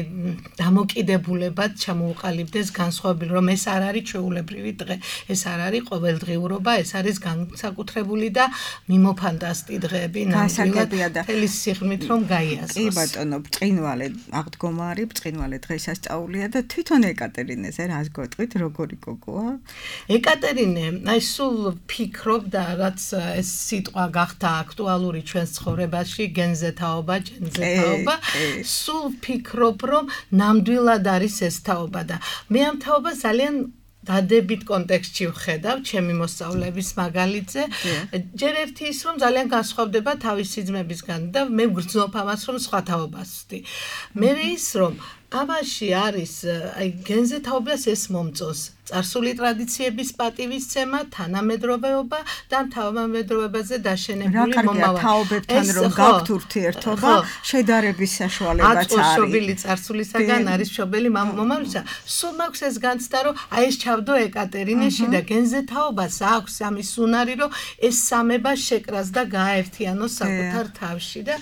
დამოკიდებულებად ჩამოუყალიბდეს განსხვავებული რომ ეს არ არის ჩვეულებრივი დღე, ეს არ არის ყოველდღიურობა, ეს არის განსაკუთრებული და მიმოფანტასტი დღეები ნამდვილად თელის სიღრმით რომ გაიაზროს. კი ბატონო, ბრწყინვალე აღდგომა არის, ბრწყინვალე დღესასწაულია და თვითონ ეკატერინეზე რას გვეტყვით, როგორი გოგოა? ეკატერინე, აი სულ ფიქრობ და რაც ეს სიტყვა გახდა აქტუალური ჩვენს ცხოვრებაში, გენზე თაობა, ჯენზე თაობა, სულ ფიქრობ რომ ნამდვილად არის ეს თაობა და მე ამ თაობას ძალიან დადებით კონტექსტში ვხედავ ჩემი მოსწავლეების მაგალითზე. ჯერ ერთი ის რომ ძალიან განსხვავდება თავისი ძმებისგან და მე ვგრძნობ ამას რომ სხვა თაობას ვსვდი. მე ის რომ ამაში არის აი გენზე თაობას ეს მომწონს. წარსული ტრადიციების პატივისცემა, თანამედროვეობა და თანამედროვეობაზე დაშენებული მომავალი. რა თაობებთან რომ გაქვთ ურთიერთობა, შედარების საშუალებაც არის. აწმშობილი წარსულისაგან არის მშობელი მომავალისა. სულ მაქვს ეს განცდა რომ აი ეს ჩავდო ეკატერინეში და გენზე თაობას აქვს ამის უნარი რომ ეს სამება შეკრას და გააერთიანოს საკუთარ თავში და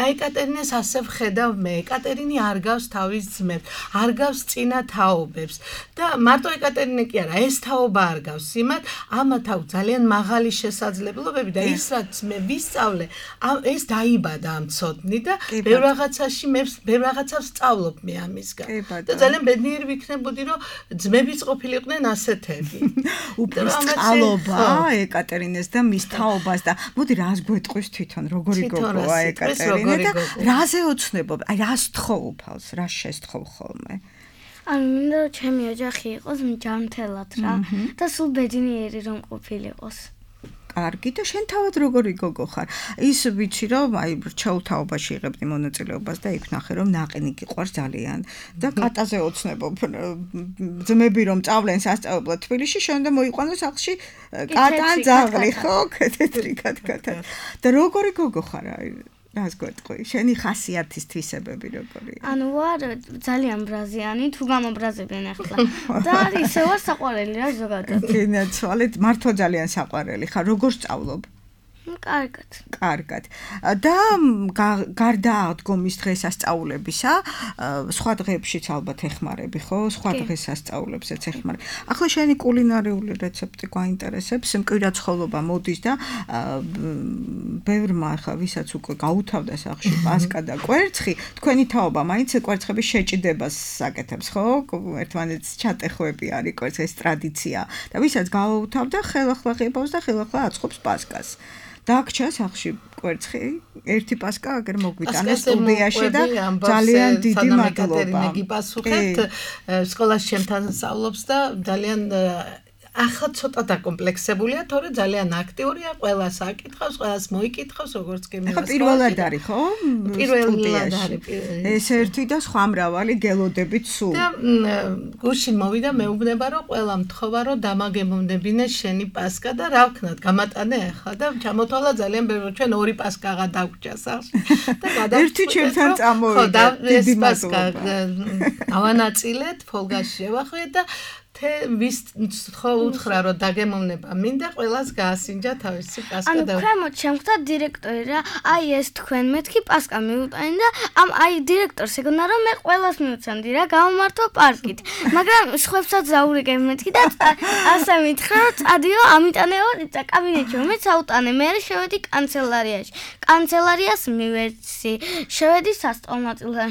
აი ეკატერინეს ასე ვხედავ მე. ეკატერინე არ გავს თავის ძმებს, არ გავს წინა თაობებს და მარტო ეკატერინე კი არა, ეს თაობა არ გავს იმათ, ამათ აქვს ძალიან მაღალი შესაძლებლობები და ის რაც მე ვისწავლე, ეს დაიბადა ამ ცოდნი და ბევრ რაღაცაში მე ბევრ რაღაცას ვსწავლობ მე ამისგან. და ძალიან ბედნიერი ვიქნებოდი რომ ძმებიც ყოფილიყვნენ ასეთები. უფრო სწავლობა ეკატერინეს და მის თაობას და მოდი რას გვეტყვის თვითონ, როგორი გოგოა ეკატერინე და რაზე ოცნებობ, აი რას თხოვ უფალს, რას შესთხოვ ხოლმე? ანუ მინდა ჩემი ოჯახი იყოს მჯანმრთელად რა და სულ ბედნიერი რომ ყოფილიყოს. კარგი და შენ თავად როგორი გოგო ხარ? ის ვიცი რომ აი რჩეულ თაობაში იღებდი მონაწილეობას და იქ ნახე რომ ნაყინი გიყვარს ძალიან და კატაზე ოცნებობ ძმები რომ წავლენ სასწავლებლად თბილისში შენ და მოიყვანო სახლში კატა ძაღლი ხო თეთრი კატკატა და როგორი გოგო ხარ აი რას გვეტყვი შენი ხასიათის თვისებები როგორია? ანუ ვარ ძალიან ბრაზიანი თუ გამობრაზებენ ახლა და ისე ვარ საყვარელი რა ზოგადად. გინაცვალეთ მართლა ძალიან საყვარელი ხარ როგორ სწავლობ? კარგად. კარგად. და გარდა აღდგომის დღესასწაულებისა, სხვა დღეებშიც ალბათ ეხმარები, ხო? სხვა დღესასწაულებსაც ეხმარები. ახლა შენი კულინარიული რეცეპტი გვაინტერესებს, მკვირა ცხოველობა მოდის და ბევრმა ახლა ვისაც უკვე გაუთავდა სახლში პასკა და კვერცხი, თქვენი თაობა მაინც კვერცხების შეჭიდებას აკეთებს, ხო? ერთმანეთს ჩატეხვები არის კვერცხის ტრადიცია და ვისაც გაუთავდა, ხელახლა ღებავს და ხელახლა აწყობს პასკას. დაგჭა სახლში კვერცხი ერთი პასკა აგერ მოგვიტანა სტუდიაში და ძალიან დიდი მადლობა. გიპასუხეთ სკოლაში ჩემთან სწავლობს და ძალიან ახლა ცოტა დაკომპლექსებულია, თორე ძალიან აქტიურია, ყველას აკითხავს, ყველას მოიკითხავს, როგორც კი მე. ახლა პირველად არის, ხო? პირველად არის. ეს ერთი და სხვა მრავალი გელოდებით სულ. და გუშინ მოვიდა მეუბნება, რომ ყველა მთხოვა, რომ დამაგემოვნებინეს შენი პასკა და რა ვქნათ, გამატანე ახლა და ჩამოთვალა ძალიან ბევრი, ჩვენ ორი პასკაღა დაგვჭა სახლში და გადავწყვეტ. ერთი ჩემთან წამოვიდა. დიდი პასკა ავანაწილეთ, ფოლგაში შევახვიეთ და թե ვის ხო უთხრა რომ დაგემოვნება მინდა ყველას გაასინჯა თავისი პასკა და ანუ ქვემოთ შემხვდა დირექტორი რა აი ეს თქვენ მეთქი პასკა მიუტანი და ამ აი დირექტორს ეგონა რომ მე ყველას მიუცემდი რა გამომართო პარკით მაგრამ სხვებსაც ზაურიგებ მეთქი და ასე მითხრა რომ წადიო ამიტანეო და კაბინეტში მე საუტანე მე შევედი კანცელარიაში კანცელარიას მივეცი შევედი სასწავლნაწილთან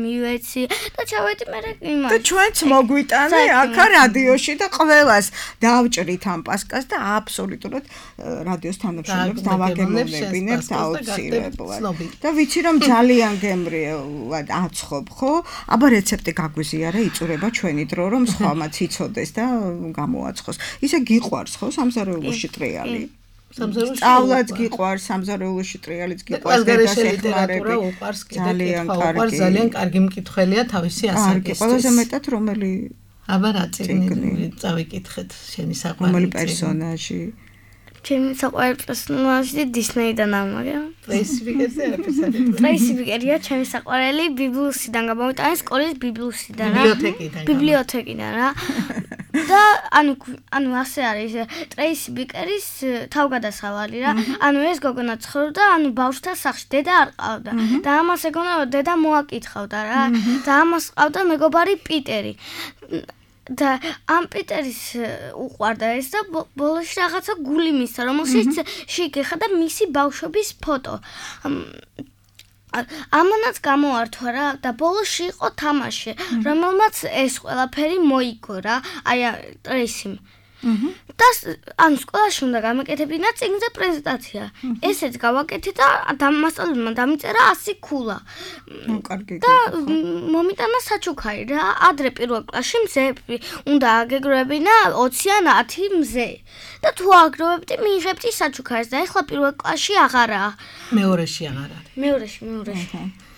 მივეცი და ჩავედი მე იმას და ჩვენც მოგვიტანე აქა რადიოში და ყველას დავჭრით ამ პასკას და აბსოლუტურად რადიოს თანამშრომლებს დავაგემოვნებინებთ აუცილებლად. და ვიცი რომ ძალიან გემრიელად აცხობ, ხო? აბა რეცეპტი გაგვიზიარე, იწურება ჩვენი დრო რომ სხვამაც იცოდეს და გამოაცხოს. ისე გიყვარს, ხო, სამზარეულოში ტრიალი? სამზარეულოში სწავლაც გიყვარს, სამზარეულოში ტრიალიც გიყვარს და ლიტერატურა უყვარს კიდე ძალიან კარგი. ძალიან კარგი მკითხველია თავისი ასაკისთვის. ყველაზე მეტად რომელი აბა რა წიგნი წავიკითხეთ შენი საყვარელი რომელი პერსონაჟი ჩემი საყვარელი პერსონაჟი დისნეიდან ამაგა ტრეისი ბიკერზე არაფერს არ ეტყვი ტრეისი ბიკერია ჩემი საყვარელი ბიბლიოსიდან გამოვიტანე სკოლის ბიბლიოსიდან რა ბიბლიოთეკიდან ბიბლიოთეკიდან რა და ანუ ანუ ასე არის ტრეისი ბიკერის თავგადასავალი რა ანუ ეს გოგონა ცხოვრობდა ანუ ბავშვთა სახლში დედა არ ყავდა და ამას ეგონა რომ დედა მოაკითხავდა რა და ამას ყავდა მეგობარი პიტერი და ამ პიტერის უყვარდა ეს და ბოლოში რაღაცა გული მისცა რომელშიც შეგეხა და მისი ბავშვობის ფოტო ამანაც გამოართვა რა და ბოლოში იყო თამაში რომელმაც ეს ყველაფერი მოიგო რა აი ტრეისიმ და ან სკოლაში უნდა გამეკეთებინა წიგნზე პრეზენტაცია. ესეც გავაკეთე და მასწავლებელმა დამიწერა ასი ქულა. კარგი. და მომიტანა საჩუქარი რა. ადრე პირველ კლასში მზეები უნდა აგეგროვებინა ოცი ან ათი მზე. და თუ აგროვებდი მიიღებდი საჩუქარს და ეხლა პირველ კლასში აღარაა. მეორეში აღარ არის. მეორეში, მეორეში.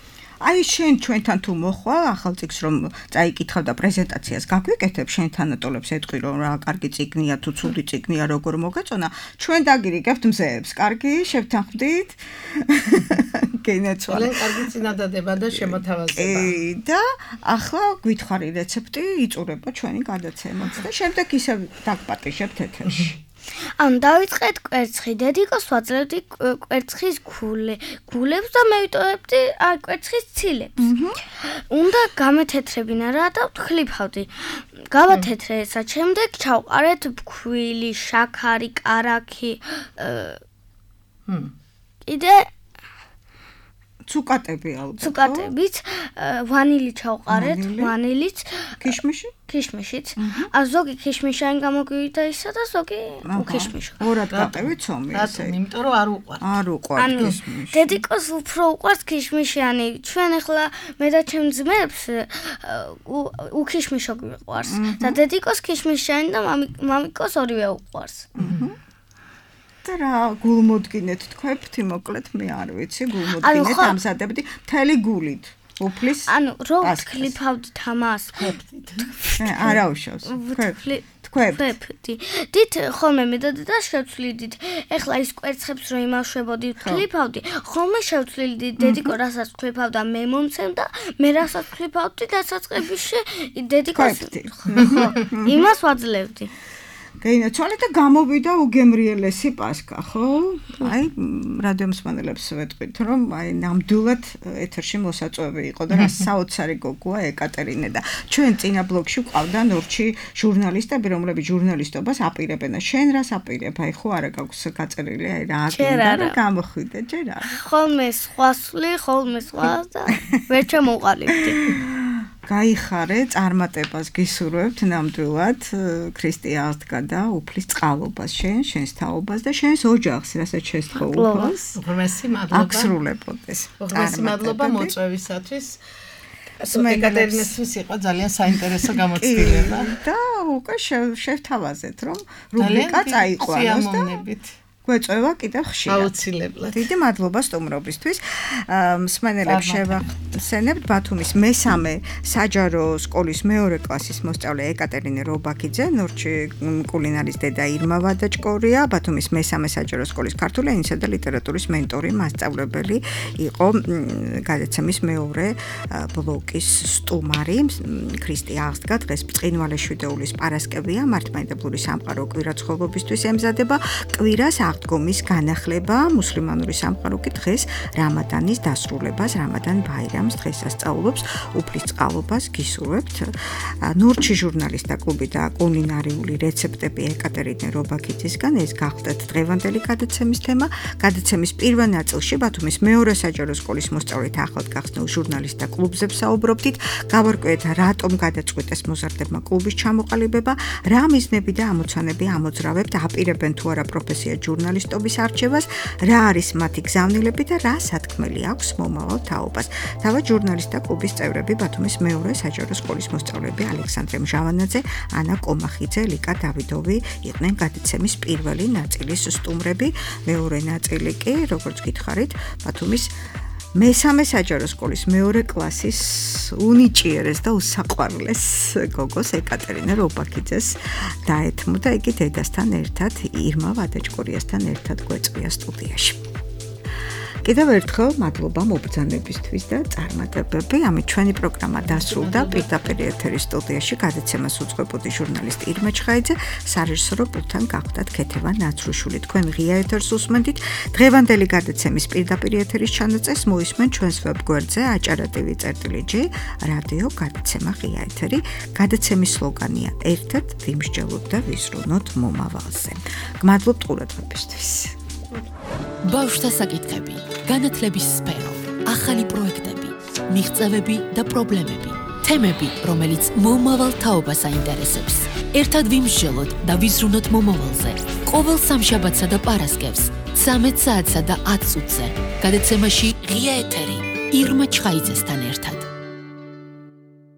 აი შენ ჩვენთან თუ მოხვალ ახალ წიგნს რომ წაიკითხავ და პრეზენტაციას გაგვიკეთებ შენ თანატოლებს ეთქვი რომ რა კარგი წიგნია თუ ცუდი წიგნია როგორ მოგეწონა ჩვენ დაგირიგებთ მზეებს კარგი შევთანხმდით გენაცვალე კარგი წინადადება და შემოთავაზება და ახლა გვითხრი რეცეპტი იწურება ჩვენი გადაცემაც და შემდეგ ისევ დაგპატიშებთ ეთერში ან დავიწყეთ კვერცხი დედიკოს ვაძლევდი კვერცხის გულე გულებს და მევიტოვებდი არ კვერცხის ცილებს უნდა გამეთეთრებინა რა და ვთქლიფავდი გავათეთრე ესა შემდეგ ჩავყარეთ ფქვილი შაქარი კარაქი კიდე ცუკატები ალბათ. ცუკატებით, ვანილი ჩავყარეთ, ვანილიც, ქიშმიში? ქიშმიშიც. ა ზოგი ქიშმიშანი გამოგვივიდა ისა და ზოგი უქიშმიშო. ორად გაყევი ცომი ესე. რატომ? იმიტომ რომ არ უყვართ. არ უყვართ ქიშმიში. დედიკოს უფრო უყვართ ქიშმიშიანი. ჩვენ ახლა მე და ჩემ ძმებს უქიშმიშო გვიყვარს. და დედიკოს ქიშმიშიანი და მამიკოს ორივე უყვარს. და რა გულმოდგინეთ თქვენთი მოკლედ მე არ ვიცი გულმოდგინეთ ამზადებდი მთელი გულით უფლის ანუ რო ვთქლიფავდით ამას არა უშავს თქვენთი დით ხოლმე მე და და შევცვლიდით ეხლა ის კვერცხებს რო იმავშებოდი ვთქლიფავდი ხოლმე შევცვლიდი დედიკო რასაც ვთქლიფავდა მე მომცემდა მე რასაც ვთქლიფავდი დასაწყისში დედიკოს იმას ვაძლევდი გაინაცვალე და გამოვიდა უგემრიელესი პასკა, ხო? აი, რადიომსმენელებს ვეტყვით, რომ აი ნამდვილად ეთერში მოსაწვევი იყო და რა საოცარი გოგოა ეკატერინე და ჩვენ წინა ბლოგში ვყავდა ნორჩი ჟურნალისტები, რომლებიც ჟურნალისტობას აპირებენ. შენ რას აპირებ? აი, ხო არა გაქვს გაწერილი, აი რა აკეთებ და გამოხვიდე, ჯერ არა. ხოლმე სხვა სული, ხოლმე სხვა და ვერ ჩამოყალიბდი. გაიხარე, წარმატებას გისურვებთ ნამდვილად ქრისტიანს და უფლის წყალობას შენ, შენს თაობას და შენს ოჯახს, რასაც შესთხოვ უფლს. უღრმესი მადლობა. აღსრულებოდეს. უღრმესი მადლობა მოწვევისათვის. ეკატერინესთვის იყო ძალიან საინტერესო გამოცდილება. და უკვე შევთავაზეთ, რომ რუბრიკა წაიყვანოს და გვეწევა კიდევ ხშირად. აუცილებლად. დიდი მადლობა სტუმრობისთვის. მსმენელებს შევახსენებთ ბათუმის მესამე საჯარო სკოლის მეორე კლასის მოსწავლე ეკატერინე რობაქიძე, ნორჩი კულინარის დედა ირმა ვადაჭკორია, ბათუმის მესამე საჯარო სკოლის ქართული ენისა და ლიტერატურის მენტორი, მასწავლებელი იყო გადაცემის მეორე ბლოკის სტუმარი. ქრისტე აღსდგა დღეს ბრწყინვალე შვიდეულის პარასკევია, მართლმადიდებლური სამყარო კვირაცხოვლობისთვის ემზადება. კვირას აღდგომის განახლება მუსლიმანური სამყარო კი დღეს რამადანის დასრულებას, რამადან ბაირამს დღესასწაულობს, უფლის წყალობას გისურვებთ. ნორჩი ჟურნალისტთა კლუბი და კულინარიული რეცეპტები ეკატერინე რობაქიძისგან ეს გახდათ დღევანდელი გადაცემის თემა. გადაცემის პირველ ნაწილში ბათუმის მეორე საჯარო სკოლის მოსწავლეთა ახლად გახსნილ ჟურნალისტთა კლუბზე ვსაუბრობდით. გავარკვიეთ რატომ გადაწყვიტეს მოზარდებმა კლუბის ჩამოყალიბება, რა მიზნები და ამოცანები ამოძრავებთ, აპირებენ თუ არა პროფესია ჟურნალისტობის არჩევას, რა არის მათი გზავნილები და რა სათქმელი აქვს მომავალ თაობას. თავად ჟურნალისტთა კლუბის წევრები ბათუმის მეორე საჯარო სკოლის მოსწავლეები ალექსანდრე მჟავანაძე, ანა კომახიძე, ლიკა დავიდოვი იყვნენ გადაცემის პირველი ნაწილის სტუმრები. მეორე ნაწილი კი, როგორც გითხარით, ბათუმის მესამე საჯარო სკოლის მეორე კლასის უნიჭიერეს და უსაყვარლეს გოგოს ეკატერინე რობაქიძეს დაეთმო და იგი დედასთან ერთად ირმა ვადაჭკორიასთან ერთად გვეწვია სტუდიაში. კიდევ ერთხელ მადლობა მობრძანებისთვის და წარმატებები. ამით ჩვენი პროგრამა დასრულდა. პირდაპირ ეთერის სტუდიაში გადაცემას უძღვებოდი ჟურნალისტი ირმა ჩხაიძე, სარეჟისორო პულტთან გახდათ ქეთევა ნაცრუშვილი. თქვენ ღია ეთერს უსმენთ. დღევანდელი გადაცემის პირდაპირ ეთერის ჩანაწეს მოისმენ ჩვენს ვებგვერდზე აჭარა ტივი წერტილი ჯი რადიო გადაცემა ღია ეთერი. გადაცემის სლოგანია ერთად ვიმსჯელოთ და ვიზრუნოთ მომავალზე. გმადლობთ ყურადღებისთვის. ბავშვთა საკითხები, განათლების სფერო, ახალი პროექტები, მიღწევები და პრობლემები, თემები, რომელიც მომავალ თაობას აინტერესებს. ერთად ვიმსჯელოთ და ვიზრუნოთ მომავალზე. ყოველ სამშაბათსა და პარასკევს, ცამეტ საათსა და ათ წუთზე. გადაცემაში ღია ეთერი ირმა ჩხაიძესთან ერთად.